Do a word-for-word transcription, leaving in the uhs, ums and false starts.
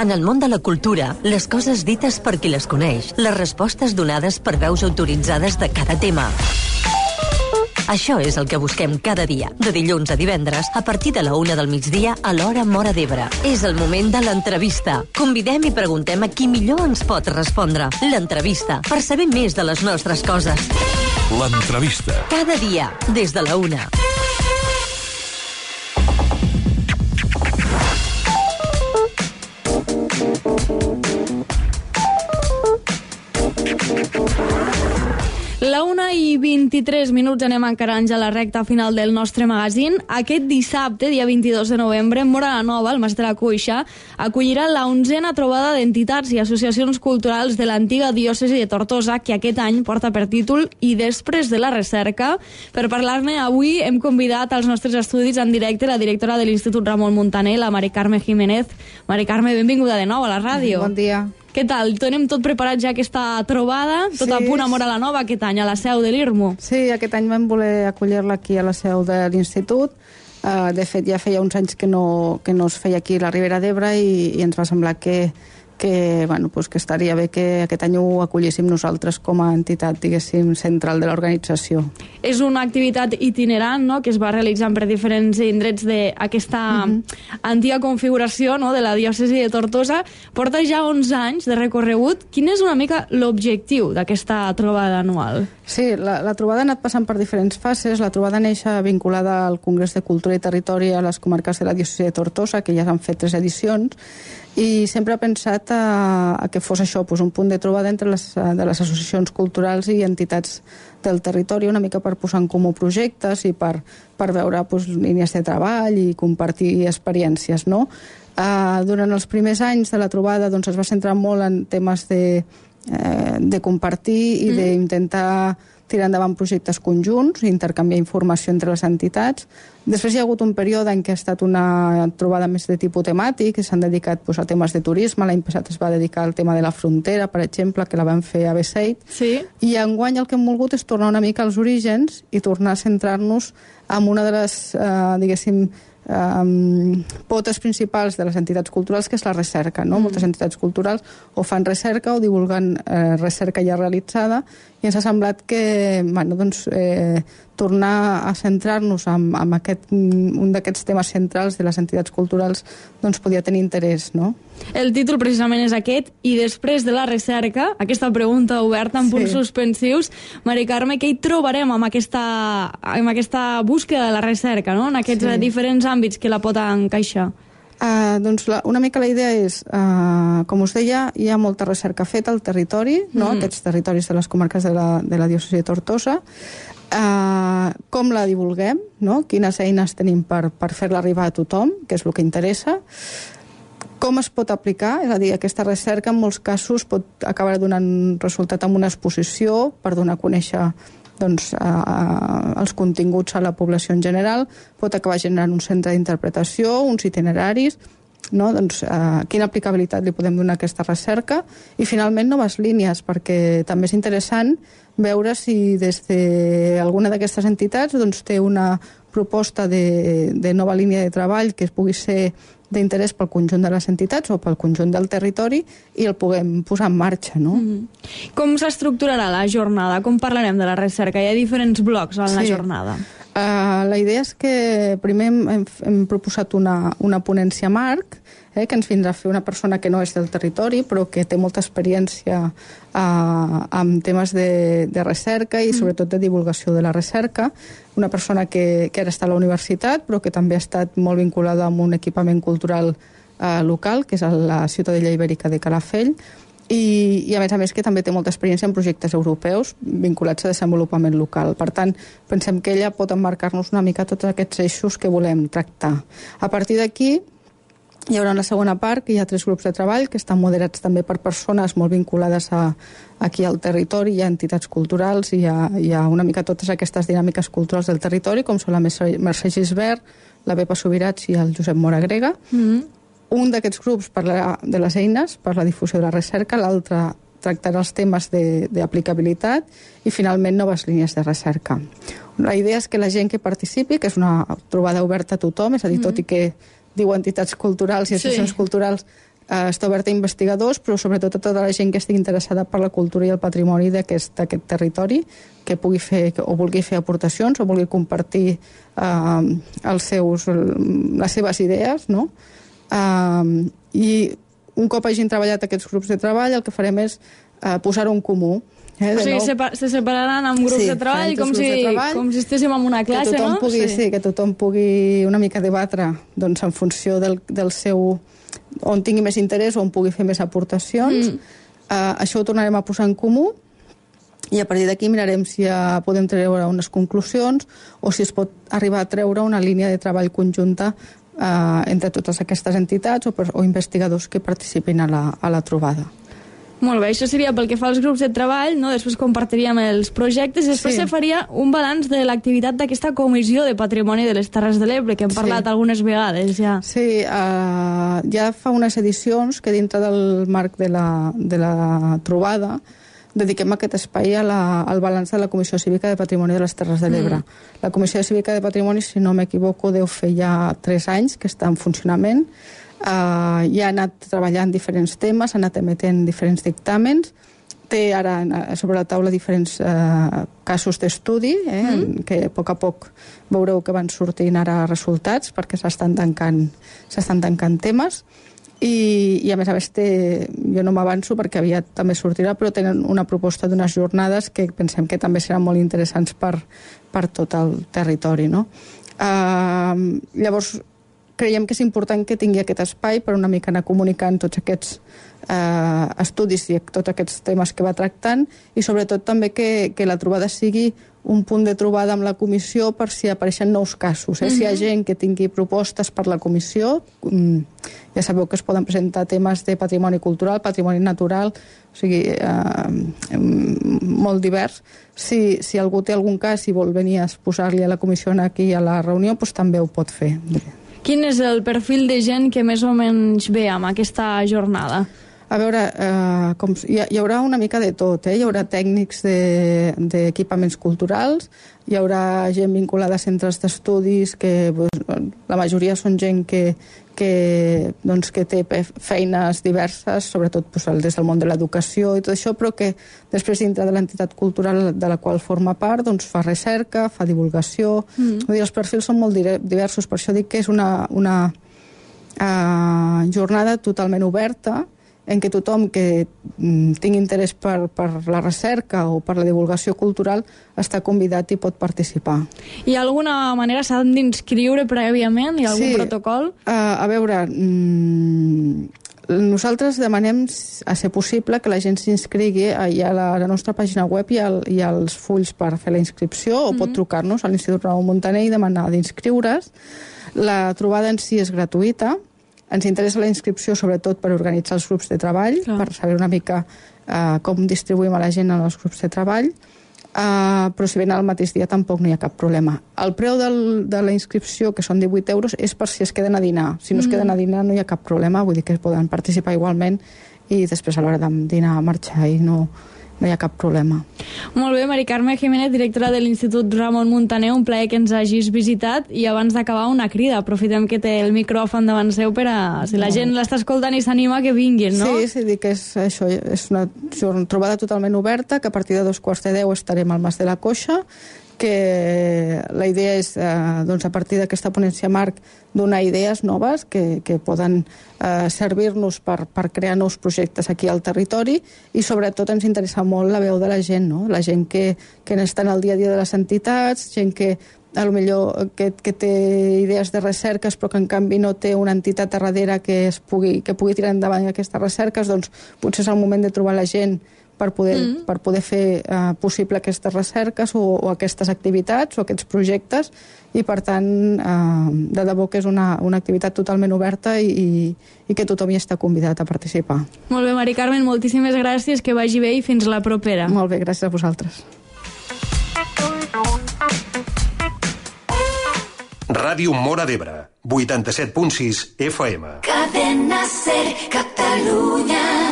En el món de la cultura, les coses dites per qui les coneix, les respostes donades per veus autoritzades de cada tema. Això és el que busquem cada dia, de dilluns a divendres, a partir de la una del migdia a l'hora Móra d'Ebre. És el moment de l'entrevista. Convidem i preguntem a qui millor ens pot respondre. L'entrevista, per saber més de les nostres coses. L'entrevista. Cada dia, des de la una. La una i vint-i-tres minuts anem encarant ja la recta final del nostre magazín. Aquest dissabte, dia vint-i-dos de novembre, Móra la Nova, el Mas de la Cuixa, acollirà la onzena trobada d'entitats i associacions culturals de l'antiga diòcesi de Tortosa, que aquest any porta per títol I després de la recerca. Per parlar-ne avui hem convidat als nostres estudis en directe la directora de l'Institut Ramon Muntaner, la Mari Carme Jiménez. Mari Carme, benvinguda de nou a la ràdio. Bon dia. Què tal? Tenim tot preparat ja aquesta trobada, tot sí. A punt a Móra la Nova aquest any, a la seu de l'I R M U. Sí, aquest any vam voler acollir-la aquí a la seu de l'Institut. Uh, de fet, ja feia uns anys que no, que no es feia aquí a la Ribera d'Ebre i, i ens va semblar que, que, bueno, pues que estaria bé que aquest any ho acollíssim nosaltres com a entitat, diguéssim, central de l'organització. És una activitat itinerant, no?, que es va realitzant per diferents indrets d'aquesta mm-hmm. antiga configuració, no?, de la diòcesi de Tortosa. Porta ja onze anys de recorregut. Quin és una mica l'objectiu d'aquesta trobada anual? Sí, la, la trobada ha anat passant per diferents fases. La trobada neix vinculada al Congrés de Cultura i Territori a les comarques de la diòcesi de Tortosa, que ja s'han fet tres edicions, i sempre ha pensat a, a que fos això, pues, un punt de trobada entre les, de les associacions culturals i entitats del territori, una mica per posar en comú projectes i per, per veure pues, línies de treball i compartir experiències, no? Uh, durant els primers anys de la trobada doncs, es va centrar molt en temes de, eh, de compartir i mm. d'intentar tirar endavant projectes conjunts, intercanviar informació entre les entitats. Després hi ha hagut un període en què ha estat una trobada més de tipus temàtic, que s'han dedicat pues, a temes de turisme. L'any passat es va dedicar al tema de la frontera, per exemple, que la vam fer a Beseit. Sí. I enguany el que hem volgut és tornar una mica als orígens i tornar a centrar-nos en una de les, eh, diguéssim, Um, potes principals de les entitats culturals, que és la recerca, no? Mm. Moltes entitats culturals o fan recerca o divulguen eh, recerca ja realitzada, i ens ha semblat que bueno, doncs, eh, tornar a centrar-nos en, en aquest, un d'aquests temes centrals de les entitats culturals doncs podia tenir interès, no? El títol precisament és aquest, I després de la recerca, aquesta pregunta oberta amb sí. punts suspensius. Mari Carme, què hi trobarem amb aquesta, amb aquesta búsqueda de la recerca, no?, en aquests sí. diferents àmbits que la pot encaixar? Uh, doncs la, una mica la idea és, uh, com us deia, hi ha molta recerca feta al territori, no? Mm. Aquests territoris de les comarques de la, de la diòcesi de Tortosa. Uh, com la divulguem, no? Quines eines tenim per, per fer-la arribar a tothom, que és el que interessa. Com es pot aplicar? És a dir, aquesta recerca en molts casos pot acabar donant resultat en una exposició per donar a conèixer doncs, eh, els continguts a la població en general, pot acabar generant un centre d'interpretació, uns itineraris, no? Doncs, eh, quina aplicabilitat li podem donar a aquesta recerca, i finalment noves línies, perquè també és interessant veure si des d'alguna d'aquestes entitats doncs, té una proposta de, de nova línia de treball que pugui ser d'interès pel conjunt de les entitats o pel conjunt del territori i el puguem posar en marxa, no? Mm. Com s'estructurarà la jornada? Com parlarem de la recerca? Hi ha diferents blocs en sí. la jornada. Uh, la idea és que primer hem, hem proposat una, una ponència marc, eh, que ens vindrà a fer una persona que no és del territori però que té molta experiència uh, en temes de, de recerca i sobretot de divulgació de la recerca, una persona que, que ara està a la universitat però que també ha estat molt vinculada amb un equipament cultural uh, local, que és a la Ciutadella Ibèrica de Calafell, I, i a més a més que també té molta experiència en projectes europeus vinculats a desenvolupament local. Per tant, pensem que ella pot emmarcar-nos una mica tots aquests eixos que volem tractar. A partir d'aquí hi haurà una segona part, que hi ha tres grups de treball que estan moderats també per persones molt vinculades a, aquí al territori. Hi ha entitats culturals i hi ha, hi ha una mica totes aquestes dinàmiques culturals del territori, com són la Mercè Gisbert, la Pepa Subirats i el Josep Mora Grega. Mm-hmm. Un d'aquests grups parlarà de les eines per la difusió de la recerca, l'altre tractarà els temes d'aplicabilitat i finalment noves línies de recerca. La idea és que la gent que participi, que és una trobada oberta a tothom, és a dir, tot i que diu entitats culturals i associacions sí. culturals, eh, està oberta a investigadors, però sobretot a tota la gent que estigui interessada per la cultura i el patrimoni d'aquest territori, que pugui fer o vulgui fer aportacions o vulgui compartir eh, els seus, les seves idees, no? Eh, I un cop hagin treballat aquests grups de treball, el que farem és eh, posar-ho en comú. Eh, o sigui, separ se separaran en grups sí, de treball, com si, de treball, com si estéssim en una classe, que no? Pugui, sí. sí, que tothom pugui una mica debatre doncs, en funció del, del seu... on tingui més interès o on pugui fer més aportacions. Mm. Uh, això ho tornarem a posar en comú i a partir d'aquí mirarem si ja podem treure unes conclusions o si es pot arribar a treure una línia de treball conjunta uh, entre totes aquestes entitats o, per, o investigadors que participin a la, a la trobada. Molt bé, això seria pel que fa als grups de treball, no? Després compartiríem els projectes i després sí. se faria un balanç de l'activitat d'aquesta Comissió de Patrimoni de les Terres de l'Ebre, que hem parlat sí. algunes vegades ja. Sí, uh, ja fa unes edicions que dintre del marc de la, de la trobada dediquem aquest espai a la, al balanç de la Comissió Cívica de Patrimoni de les Terres de l'Ebre. Mm. La Comissió Cívica de Patrimoni, si no m'equivoco, deu fer ja tres anys que està en funcionament. Uh, ja ha anat treballant diferents temes, ha anat emetent diferents dictàmens, té ara sobre la taula diferents uh, casos d'estudi, eh, mm. que a poc a poc veureu que van sortint ara resultats perquè s'estan tancant, s'estan tancant temes. I, i a més a més té, jo no m'avanço perquè aviat també sortirà, però tenen una proposta d'unes jornades que pensem que també seran molt interessants per, per tot el territori, no? Uh, llavors creiem que és important que tingui aquest espai per una mica anar comunicant tots aquests eh, estudis i tots aquests temes que va tractant i sobretot també que, que la trobada sigui un punt de trobada amb la comissió per si apareixen nous casos. Eh? Mm-hmm. Si hi ha gent que tingui propostes per la comissió, ja sabeu que es poden presentar temes de patrimoni cultural, patrimoni natural, o sigui, eh, molt divers. Si, si algú té algun cas i vol venir a posar-li a la comissió aquí a la reunió, doncs també ho pot fer. Quin és el perfil de gent que més o menys ve amb aquesta jornada? A veure, eh, com, hi, hi haurà una mica de tot, eh? Hi haurà tècnics d'equipaments de, culturals, hi haurà gent vinculada a centres d'estudis, que pues, la majoria són gent que, que, doncs, que té feines diverses, sobretot pues, des del món de l'educació i tot això, però que després dintre de l'entitat cultural de la qual forma part doncs, fa recerca, fa divulgació. Mm. Vull dir, els perfils són molt diversos, per això dic que és una, una uh, jornada totalment oberta, en què tothom que tingui interès per, per la recerca o per la divulgació cultural està convidat i pot participar. Hi ha alguna manera, s'han d'inscriure prèviament? Hi ha algun sí, protocol? Uh, a veure, mm, nosaltres demanem, a ser possible, que la gent s'inscrigui. Hi ha la, la nostra pàgina web i hi ha els fulls per fer la inscripció, o mm-hmm. pot trucar-nos a l'Institut Ramon Muntaner i demanar d'inscriure's. La trobada en si és gratuïta. Ens interessa la inscripció sobretot per organitzar els grups de treball, Clar. per saber una mica uh, com distribuïm a la gent en els grups de treball, uh, però si ven al mateix dia tampoc no hi ha cap problema. El preu del, de la inscripció, que són divuit euros, és per si es queden a dinar. Si no mm. es queden a dinar no hi ha cap problema, vull dir que poden participar igualment i després a l'hora de dinar a marxar i no... no hi ha cap problema. Molt bé, Mari Carme Jiménez, directora de l'Institut Ramon Muntaner, un plaer que ens hagis visitat i abans d'acabar una crida. Aprofitem que té el micròfon davant seu per a, si la gent l'està escoltant i s'anima, que vinguin, no? Sí, sí, dic que és això, és una trobada totalment oberta, que a partir de dos quarts de deu estarem al Mas de la Coixa, que la idea és, eh, doncs, a partir d'aquesta ponència marc, donar idees noves que, que poden eh, servir-nos per, per crear nous projectes aquí al territori i sobretot ens interessa molt la veu de la gent, no? La gent que, que està en el dia a dia de les entitats, gent que a lo millor que, que té idees de recerques però que en canvi no té una entitat a darrere que, es pugui, que pugui tirar endavant aquestes recerques, doncs potser és el moment de trobar la gent per poder, mm. per poder fer uh, possible aquestes recerques o, o aquestes activitats o aquests projectes i per tant uh, de debò que és una, una activitat totalment oberta i, i, i que tothom hi està convidat a participar. Molt bé, Mari Carmen, moltíssimes gràcies, que vagi bé i fins la propera. Molt bé, gràcies a vosaltres. Ràdio Móra d'Ebre, vuitanta-set punt sis F M. Cadena Ser, Catalunya.